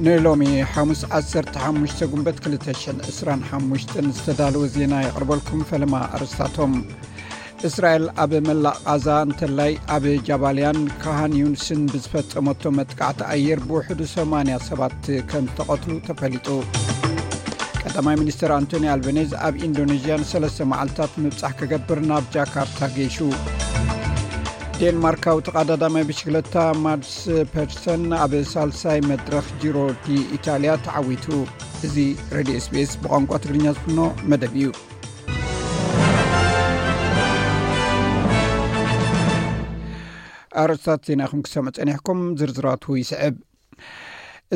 ንሎሚ ሓሙስ ዓሰርተ ሓሙሽተ ጉንበት ክልተ ሽሕን ዕስራን ሓሙሽተን ዝተዳለወ ዜና የቕርበልኩም። ፈለማ ኣርእስታቶም። እስራኤል ኣብ መላእ ቓዛ እንተላይ ኣብ ጃባልያን ካሃን ዩንስን ብዝፈጸመቶ መጥቃዕቲ ኣየር ብውሕዱ ሰማንያ ሰባት ከም ዝተቐትሉ ተፈሊጡ። ቀዳማይ ሚኒስትር ኣንቶኒ ኣልበኔዝ ኣብ ኢንዶኔዥያ ንሰለስተ መዓልታት ምብጻሕ ክገብር ናብ ጃካርታ ገይሹ። ዴንማርካዊ ተቐዳዳማይ ብሽክለታ ማድስ ፐርሰን ኣብ ሳልሳይ መድረኽ ጂሮ ዲ ኢታልያ ተዓዊቱ። እዚ ሬድዮ ኤስቢኤስ ብቋንቋ ትግርኛ ዝፍኖ መደብ እዩ። ኣርእስታት ዜና ኢኹም ክሰምዑ ጸኒሕኩም፣ ዝርዝራቱ ይስዕብ።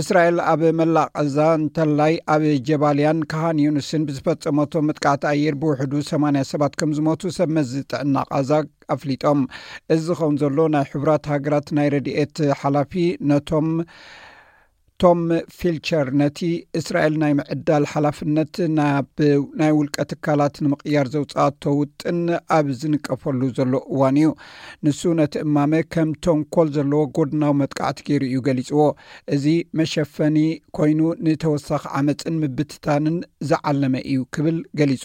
እስራኤል ኣብ መላእ ቓዛ እንተላይ ኣብ ጀባልያን ካሃን ዩንስን ብዝፈጸመቶ መጥቃዕቲ ኣየር ብውሕዱ ሰማንያ ሰባት ከም ዝሞቱ ሰብ መዚ ጥዕና ቓዛ ኣፍሊጦም። እዚ ዝኸውን ዘሎ፣ ናይ ሕቡራት ሃገራት ናይ ረድኤት ሓላፊ ነቶም ቶም ፊልቸር ነቲ እስራኤል ናይ ምዕዳል ሓላፍነት ናብ ናይ ውልቀ ትካላት ንምቕያር ዘውፅኣቶ ውጥን ኣብ ዝንቀፈሉ ዘሎ እዋን እዩ። ንሱ ነቲ እማመ ከም ተንኮል ዘለዎ ጎድናዊ መጥቃዕቲ ገይሩ እዩ ገሊፅዎ። እዚ መሸፈኒ ኮይኑ ንተወሳኺ ዓመፅን ምብትታንን ዝዓለመ እዩ ክብል ገሊፁ።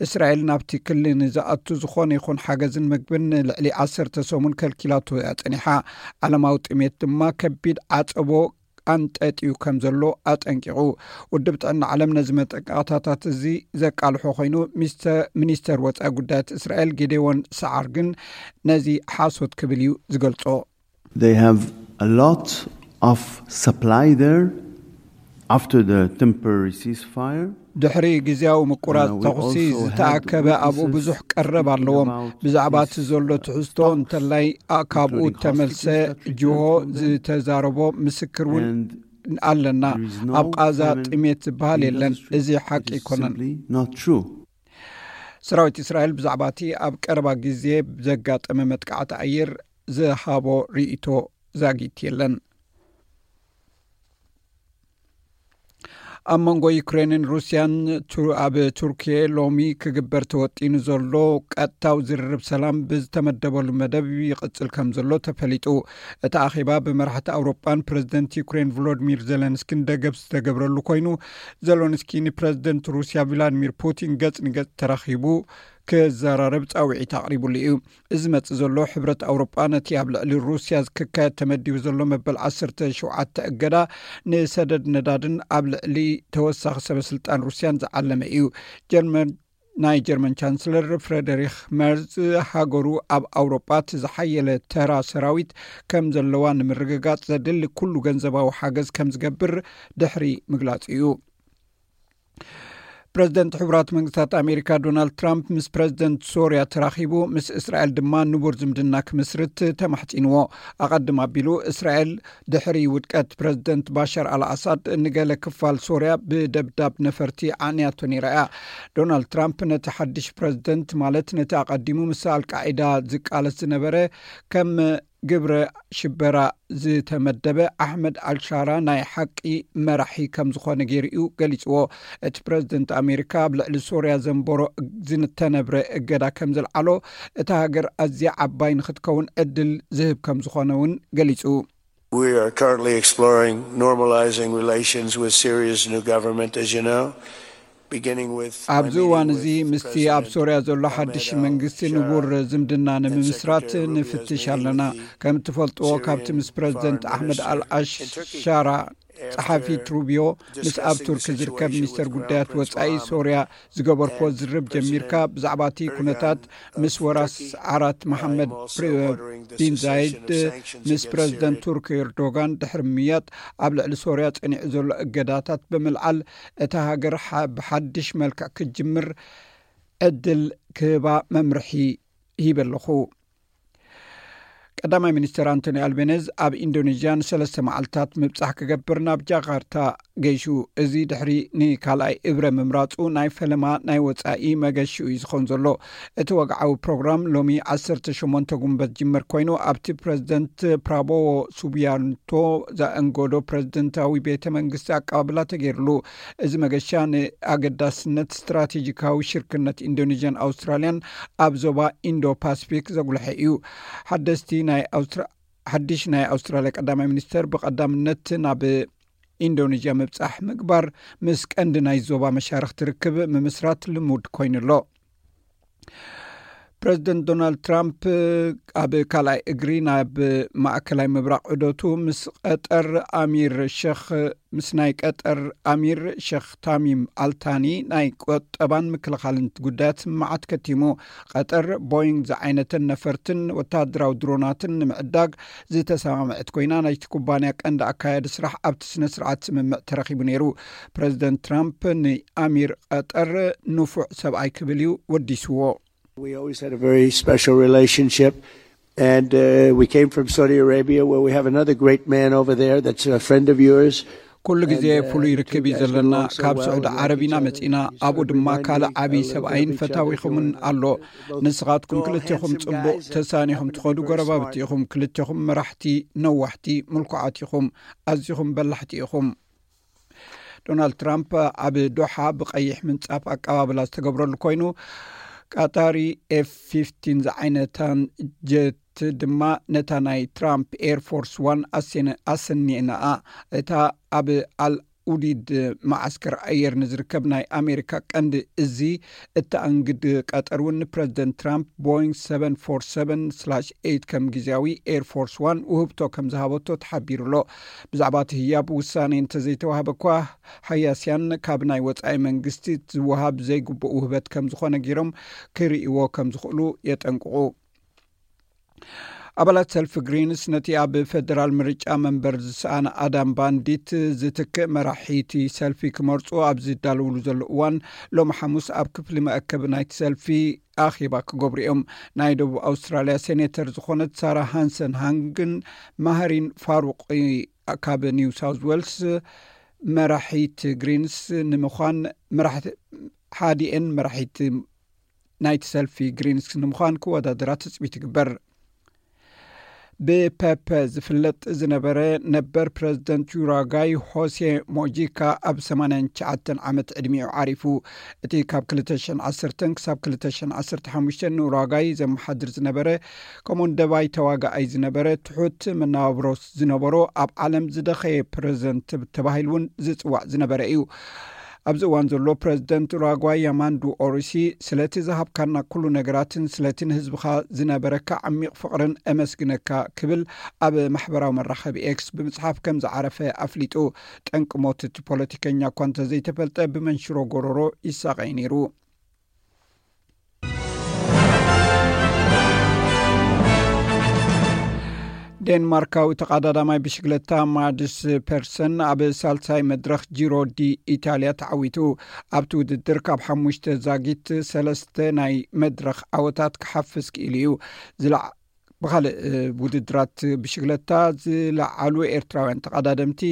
እስራኤል ናብቲ ክሊ ንዝኣቱ ዝኾነ ይኹን ሓገዝን ምግብን ንልዕሊ ዓሰርተ ሰሙን ከልኪላቶ እያ ጸኒሓ። ዓለማዊ ጥሜት ድማ ከቢድ ዓጸቦ ኣንጠጥዩ ከም ዘሎ ኣጠንቂቑ። ውድብ ጥዕና ዓለም ነዚ መጠቃዕታታት እዚ ዘቃልሖ ኮይኑ፣ ሚስተር፣ ሚኒስተር ወጻኢ ጉዳያት እስራኤል ጌዴዎን ሰዓር ግን ነዚ ሓሶት ክብል እዩ ዝገልጾ። They have a lot of supply there after the temporary ceasefire. ድሕሪ ግዜያዊ ምቁራጽ And, uh, we ተኹሲ also ዝተኣከበ have ኣብኡ witnesses ብዙሕ ቀረብ speaking ኣለዎም። About ብዛዕባ እቲ this, ዘሎ uh, ትሕዝቶ talks, እንተላይ፣ ኣ፣ ካብኡ including ተመልሰ hostages that returned ጅሆ from them. ዝተዛረቦ ምስክር እውን And ኣለና። There is no ኣብ ቃዛ famine ጥሜት ዝበሃል in የለን። Gaza Strip. እዚ ሓቂ It is ኣይኮነን። Simply not true. ሰራዊት እስራኤል ብዛዕባ እቲ ኣብ ቀረባ ግዜ ዘጋጠመ መጥቃዕቲ ኣየር ዝሃቦ ርእይቶ ዛጊት የለን። ኣብ መንጎ ዩክሬንን ሩስያን ቱ-፣ ኣብ ቱርኪየ ሎሚ ክግበር ተወጢኑ ዘሎ ቀጥታዊ ዝርርብ ሰላም ብዝተመደበሉ መደብ ይቕጽል ከም ዘሎ ተፈሊጡ። እቲ ኣኼባ ብመራሕቲ ኣውሮጳን ፕረዚደንት ዩክሬን ቮሎዲሚር ዜለንስኪን ደገፍ ዝተገብረሉ ኮይኑ፣ ዜለንስኪ ንፕረዚደንት ሩስያ ቭላድሚር ፑቲን ገጽ ንገጽ ተራኺቡ ክዘራረብ ጻውዒት ኣቕሪቡሉ እዩ። እዚ መጽእ ዘሎ ሕብረት ኣውሮጳ ነቲ ኣብ ልዕሊ ሩስያ ክካየድ ተመዲቡ ዘሎ መበል ዓሰርተ ሸውዓተ እገዳ ንሰደድ ነዳድን ኣብ ልዕሊ ተወሳኺ ሰበ ስልጣን ሩስያን ዝዓለመ እዩ። ጀርመን፣ ናይ ጀርመን ቻንስለር ፍሬደሪክ መርዝ ሃገሩ ኣብ ኣውሮጳ እቲ ዝሓየለ ተራ ሰራዊት ከም ዘለዋ ንምርግጋጽ ዘድሊ ኩሉ ገንዘባዊ ሓገዝ ከም ዝገብር ድሕሪ ምግላጹ እዩ። ፕረዚደንት ሕቡራት መንግስታት ኣሜሪካ ዶናልድ ትራምፕ ምስ ፕረዚደንት ሶርያ ተራኺቡ፣ ምስ እስራኤል ድማ ንቡር ዝምድና ክምስርት ተማሕጺንዎ። ኣቐድም ኣቢሉ እስራኤል ድሕሪ ውድቀት ፕረዚደንት ባሻር ኣልኣሳድ ንገለ ክፋል ሶርያ ብደብዳብ ነፈርቲ ዓንያቶ ነይራ እያ። ዶናልድ ትራምፕ ነቲ ሓድሽ ፕረዚደንት፣ ማለት ነቲ ኣቐዲሙ ምስ ኣልቃዒዳ ዝቃለስ ዝነበረ፣ ከም ግብረ ሽበራ ዝተመደበ ኣሕመድ ኣልሻራ ናይ ሓቂ መራሒ ከም ዝኾነ ገይሩ እዩ ገሊጽዎ። እቲ ፕረዚደንት ኣሜሪካ ኣብ ልዕሊ ሶርያ ዘንበሮ ዝተነብረ እገዳ ከም ዘልዓሎ፣ እታ ሃገር ኣዝያ ዓባይ ንኽትከውን ዕድል ዝህብ ከም ዝኾነ እውን ገሊጹ። We are currently exploring normalizing relations with Syria's new government, as you know, beginning with ኣብዚ Armenian እዋን እዚ with ምስቲ ኣብ President ሶርያ ዘሎ ሓድሽ Ahmed መንግስቲ al-Sharaa ንቡር ዝምድና and ንምምስራት Secretary Rubio's ንፍትሽ meeting ኣለና። With the ከም እትፈልጥዎ፣ Syrian ካብቲ ምስ ፕረዚደንት Foreign ኣሕመድ Minister in Turkey. ኣልኣሻራ ጸሓፊት ሩቢዮ ምስ ኣብ ቱርኪ ዝርከብ ሚኒስተር ጉዳያት ወጻኢ ሶርያ ዝገበርክዎ ዝርርብ ጀሚርካ፣ ብዛዕባ እቲ ኩነታት ምስ ወራስ ዓራት መሓመድ ቢን ዛይድ፣ ምስ ፕረዚደንት ቱርኪ ኤርዶጋን ድሕሪ ምያጥ፣ ኣብ ልዕሊ ሶርያ ጸኒዑ ዘሎ እገዳታት ብምልዓል፣ እታ ሃገር ብሓድሽ መልክዕ ክትጅምር ዕድል ክህባ መምርሒ ሂበ ኣለኹ። ቀዳማይ ሚኒስተር ኣንቶኒ ኣልቤነዝ ኣብ ኢንዶኔዥያ ንሰለስተ መዓልታት ምብጻሕ ክገብር ናብ ጃካርታ ገይሹ። እዚ ድሕሪ ንካልኣይ እብረ ምምራጹ ናይ ፈለማ ናይ ወጻኢ መገሽኡ እዩ ዝኸውን ዘሎ። እቲ ወግዓዊ ፕሮግራም ሎሚ ዓሰርተ ሸሞንተ ጉንበት ዝጅመር ኮይኑ፣ ኣብቲ ፕረዚደንት ፕራቦዎ ሱቢያንቶ ዘእንገዶ ፕረዚደንታዊ ቤተ መንግስቲ ኣቀባብላ ተገይርሉ። እዚ መገሻ ንኣገዳስነት ስትራቴጂካዊ ሽርክነት ኢንዶኔዥያን ኣውስትራልያን ኣብ ዞባ ኢንዶ ፓስፊክ ዘጉልሐ እዩ። ሓደስቲ ናይ ኣውስትራ-፣ ሓድሽ ናይ ኣውስትራልያ ቀዳማይ ሚኒስተር ብቐዳምነት ናብ ኢንዶኔዥያ ምብጻሕ ምግባር፣ ምስ ቀንዲ ናይ ዞባ መሻርኽቲ ርክብ ምምስራት ልሙድ ኮይኑ ኣሎ። ፕረዚደንት ዶናልድ ትራምፕ ኣብ ካልኣይ እግሪ ናብ ማእከላይ ምብራቕ ዑደቱ ምስ ቀጠር ኣሚር ሸኽ ምስ ናይ ቀጠር ኣሚር ሸኽ ታሚም ኣልታኒ ናይ ቁጠባን ምክልኻልን ጉዳያት ስምምዓት ከቲሙ። ቀጠር ቦይንግ ዝዓይነተን ነፈርትን ወታደራዊ ድሮናትን ንምዕዳግ ዝተሰማምዐት ኮይና፣ ናይቲ ኩባንያ ቀንዲ ኣካያዲ ስራሕ ኣብቲ ስነ ስርዓት ስምምዕ ተረኺቡ ነይሩ። ፕረዚደንት ትራምፕ ንኣሚር ቀጠር ንፉዕ ሰብኣይ ክብል እዩ ወዲስዎ። We always had a very special relationship, and uh, we came from Saudi Arabia, where we have another great man over there that's a friend of yours. ኩሉ ግዜ ፍሉይ ርክብ እዩ ዘለና። ካብ ስዑዲ ዓረብ ኢና መጺና፣ ኣብኡ ድማ ካልእ ዓብዪ ሰብኣይን ፈታዊኹምን ኣሎ። ንስኻትኩም ክልቴኹም ጽቡቕ ተሳኒኹም ትኸዱ ጎረባብቲ ኢኹም። ክልቴኹም መራሕቲ፣ ነዋሕቲ፣ ምልኩዓት ኢኹም። ኣዚኹም በላሕቲ ኢኹም። ዶናልድ ትራምፕ ኣብ ዶሓ ብቐይሕ ምንጻፍ ኣቀባብላ ዝተገብረሉ ኮይኑ፣ ቀጣሪ ኤፍ ፊፍቲን ዝዓይነታን ጀት ድማ ነታ ናይ ትራምፕ ኤር ፎርስ ዋን ኣሰኒእናኣ። እታ ኣብ ኣል ኡዲድ መዓስከር ኣየር ንዝርከብ ናይ ኣሜሪካ ቀንዲ እዚ እተኣንግድ ቀጠር እውን ንፕረዚደንት ትራምፕ ቦይንግ ሰቨን ፎር ሰቨን ስላሽ ኤይት ከም ግዜያዊ ኤር ፎርስ ዋን ውህብቶ ከም ዝሃበቶ ተሓቢሩ ኣሎ። ብዛዕባ እቲ ህያብ ውሳኔ እንተዘይተዋህበ እኳ፣ ሃያስያን ካብ ናይ ወጻኢ መንግስቲ ዝወሃብ ዘይግቡእ ውህበት ከም ዝኾነ ገይሮም ክርእይዎ ከም ዝኽእሉ የጠንቅቑ። ኣባላት ሰልፊ ግሪንስ ነቲ ኣብ ፌደራል ምርጫ መንበር ዝሰኣነ ኣዳም ባንዲት ዝትክእ መራሒቲ ሰልፊ ክመርጹ ኣብ ዝዳለውሉ ዘሎ እዋን፣ ሎሚ ሓሙስ ኣብ ክፍሊ መአከቢ ናይቲ ሰልፊ ኣኼባ ክገብሩ እዮም። ናይ ደቡብ ኣውስትራልያ ሴኔተር ዝኾነት ሳራ ሃንሰን ሃንግን ማህሪን ፋሩቅ ካብ ኒው ሳውዝ ዌልስ መራሒት ግሪንስ ንምዃን ሓዲኤን መራሒት ናይቲ ሰልፊ ግሪንስ ንምዃን ክወዳደራ ትጽቢት ይግበር። ብፐፐ ዝፍለጥ ዝነበረ ነበር ፕረዚደንት ዩራጋይ ሆሴ ሞጂካ ኣብ ሰማንያን ትሽዓተን ዓመት ዕድሚኡ ዓሪፉ። እቲ ካብ ክልተ ሽሕን ዓሰርተን ክሳብ ክልተ ሽሕን ዓሰርተ ሓሙሽተን ንኡራጋይ ዘመሓድር ዝነበረ፣ ከምኡውን ደባይ ተዋጋኣይ ዝነበረ፣ ትሑት መነባብሮ ዝነበሮ፣ ኣብ ዓለም ዝደኸየ ፕረዚደንት ተባሂሉ እውን ዝጽዋዕ ዝነበረ እዩ። ኣብዚ እዋን ዘሎ ፕረዚደንት ኡራጓይ ያማንዱ ኦሪሲ፣ ስለቲ ዝሃብካና ኩሉ ነገራትን ስለቲ ንህዝብኻ ዝነበረካ ዓሚቕ ፍቕርን እመስግነካ ክብል ኣብ ማሕበራዊ መራኸቢ ኤክስ ብምጽሓፍ ከም ዝዓረፈ ኣፍሊጡ። ጠንቂ ሞት እቲ ፖለቲከኛ እኳ እንተዘይተፈልጠ፣ ብመንሽሮ ጎረሮ ይሳቐይ ነይሩ። ዴንማርካዊ ተቐዳዳማይ ብሽግለታ ማድስ ፐርሰን ኣብ ሳልሳይ መድረኽ ጂሮ ዲ ኢታልያ ተዓዊቱ። ኣብቲ ውድድር ካብ ሓሙሽተ ዛጊት ሰለስተ ናይ መድረኽ ዓወታት ክሓፍስ ክኢሉ እዩ። ዝለዓ- ብኻልእ ውድድራት ብሽግለታ ዝለዓሉ ኤርትራውያን ተቐዳደምቲ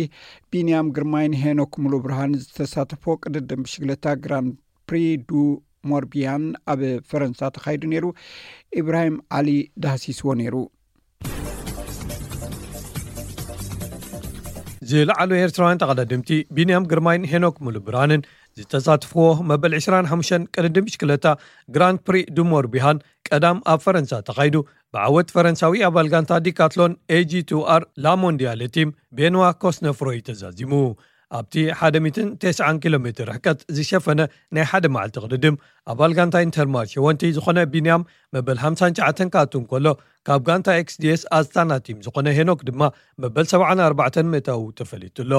ቢንያም ግርማይን ሄኖክ ሙሉ ብርሃን ዝተሳተፎ ቅድድም ብሽግለታ ግራንድ ፕሪ ዱ ሞርቢያን ኣብ ፈረንሳ ተኻይዱ ነይሩ። ኢብራሂም ዓሊ ዳህሲስዎ ነይሩ። ዝለዓሉ ኤርትራውያን ተቐዳደምቲ ቢንያም ግርማይን ሄኖክ ሙሉ ብርሃንን ዝተሳትፍዎ መበል ዕስራን ሓሙሽተን ቅድድም ብሽክለታ ግራንድ ፕሪ ዱሞር ቢሃን ቀዳም ኣብ ፈረንሳ ተኻይዱ ብዓወት ፈረንሳዊ ኣባል ጋንታ ዲካትሎን ኤጂ ቱ ኣር ላሞንዲያለ ቲም ቤንዋ ኮስነፍሮይ ተዛዚሙ። ኣብቲ ሓደ ሚእትን ተስዓን ኪሎ ሜትር ርሕቀት ዝሸፈነ ናይ ሓደ መዓልቲ ቅድድም ኣባል ጋንታ ኢንተርማርሽ ወንቲ ዝኾነ ቢንያም መበል ሓምሳን ትሽዓተን ክኣቱ እንከሎ ካብ ጋንታ ኤክስዲኤስ ኣስታና ቲም ዝኾነ ሄኖክ ድማ መበል ሰብዓን ኣርባዕተን ምእታው ተፈሊጡ ኣሎ።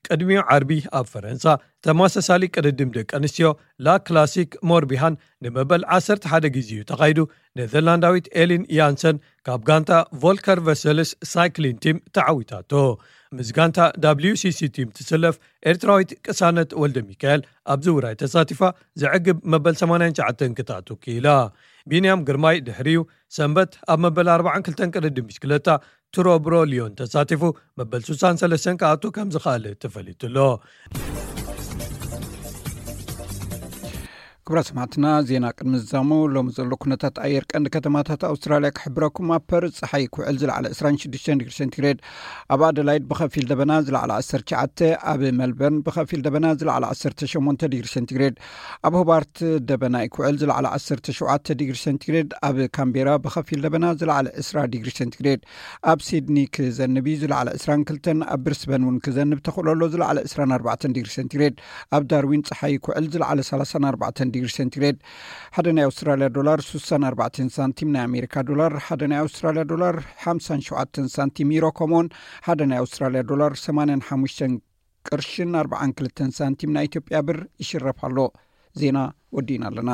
ቅድሚኡ ዓርቢ ኣብ ፈረንሳ ተመሳሳሊ ቅድድም ደቂ ኣንስትዮ ላ ክላሲክ ሞርቢሃን ንመበል ዓሰርተ ሓደ ግዜ እዩ ተኻይዱ። ኔዘርላንዳዊት ኤሊን ያንሰን ካብ ጋንታ ቮልከር ቨሰልስ ሳይክሊን ቲም ተዓዊታቶ። ምስ ጋንታ ዳብሊዩ ሲ ሲ ቲም ትስለፍ ኤርትራዊት ቅሳነት ወልደ ሚካኤል ኣብዚ ውራይ ተሳቲፋ ዘዕግብ መበል ሰማንያን ትሽዓተን ክትኣቱ ክኢላ። ቢንያም ግርማይ ድሕሪኡ ሰንበት ኣብ መበል ኣርባዓን ክልተን ቅድድም ብሽክለታ ቱሮ ብሮ ሊዮን ተሳቲፉ መበል ስሳን ሰለስተን ክኣቱ ከም ዝኽኣለ ተፈሊጡ ኣሎ። ክብራ ሰማዕትና፣ ዜና ቅድሚ ዝዛሙ ሎሚ ዘሎ ኩነታት ኣየር ቀንዲ ከተማታት ኣውስትራልያ ክሕብረኩም። ኣብ ፐርዝ ጸሓይ ክውዕል ዝለዓለ ዕስራን ሽዱሽተን ዲግሪ ሴንቲግሬድ፣ ኣብ ኣደላይድ ብኸፊል ደበና ዝለዓለ ዓሰርተ ትሽዓተ፣ ኣብ መልበርን ብኸፊል ደበና ዝለዓለ ዓሰርተ ሸሞንተ ዲግሪ ሴንቲግሬድ፣ ኣብ ሆባርት ደበና ክውዕል ዝለዓለ ዓሰርተ ሸውዓተ ዲግሪ ሴንቲግሬድ፣ ኣብ ካምቤራ ብኸፊል ደበና ዝለዓለ ዕስራ ዲግሪ ሴንቲግሬድ፣ ኣብ ሲድኒ ክዘንብ እዩ ዝለዓለ ዕስራን ክልተን፣ ኣብ ብሪስበን እውን ክዘንብ ተኽእሎ ኣሎ ዝለዓለ ዕስራን ኣርባዕተን ዲግሪ ሴንቲግሬድ፣ ኣብ ዳርዊን ጸሓይ ክውዕል ዝለዓለ ሰላሳን ኣርባዕተን ዲግሪ ሴንቲግሬድ። ሓደ ናይ ኣውስትራልያ ዶላር ስሳን ኣርባዕተን ሳንቲም፣ ናይ ኣሜሪካ ዶላር ሓደ ናይ ኣውስትራልያ ዶላር ሓምሳን ሸውዓተን ሳንቲም፣ ዩሮ ከምኡውን ሓደ ናይ ኣውስትራልያ ዶላር ሰማንያን ሓሙሽተን ቅርሽን ኣርባዓን ክልተን ሳንቲም ናይ ኢትዮጵያ ብር ይሽረፍ ኣሎ። ዜና ወዲእና ኣለና።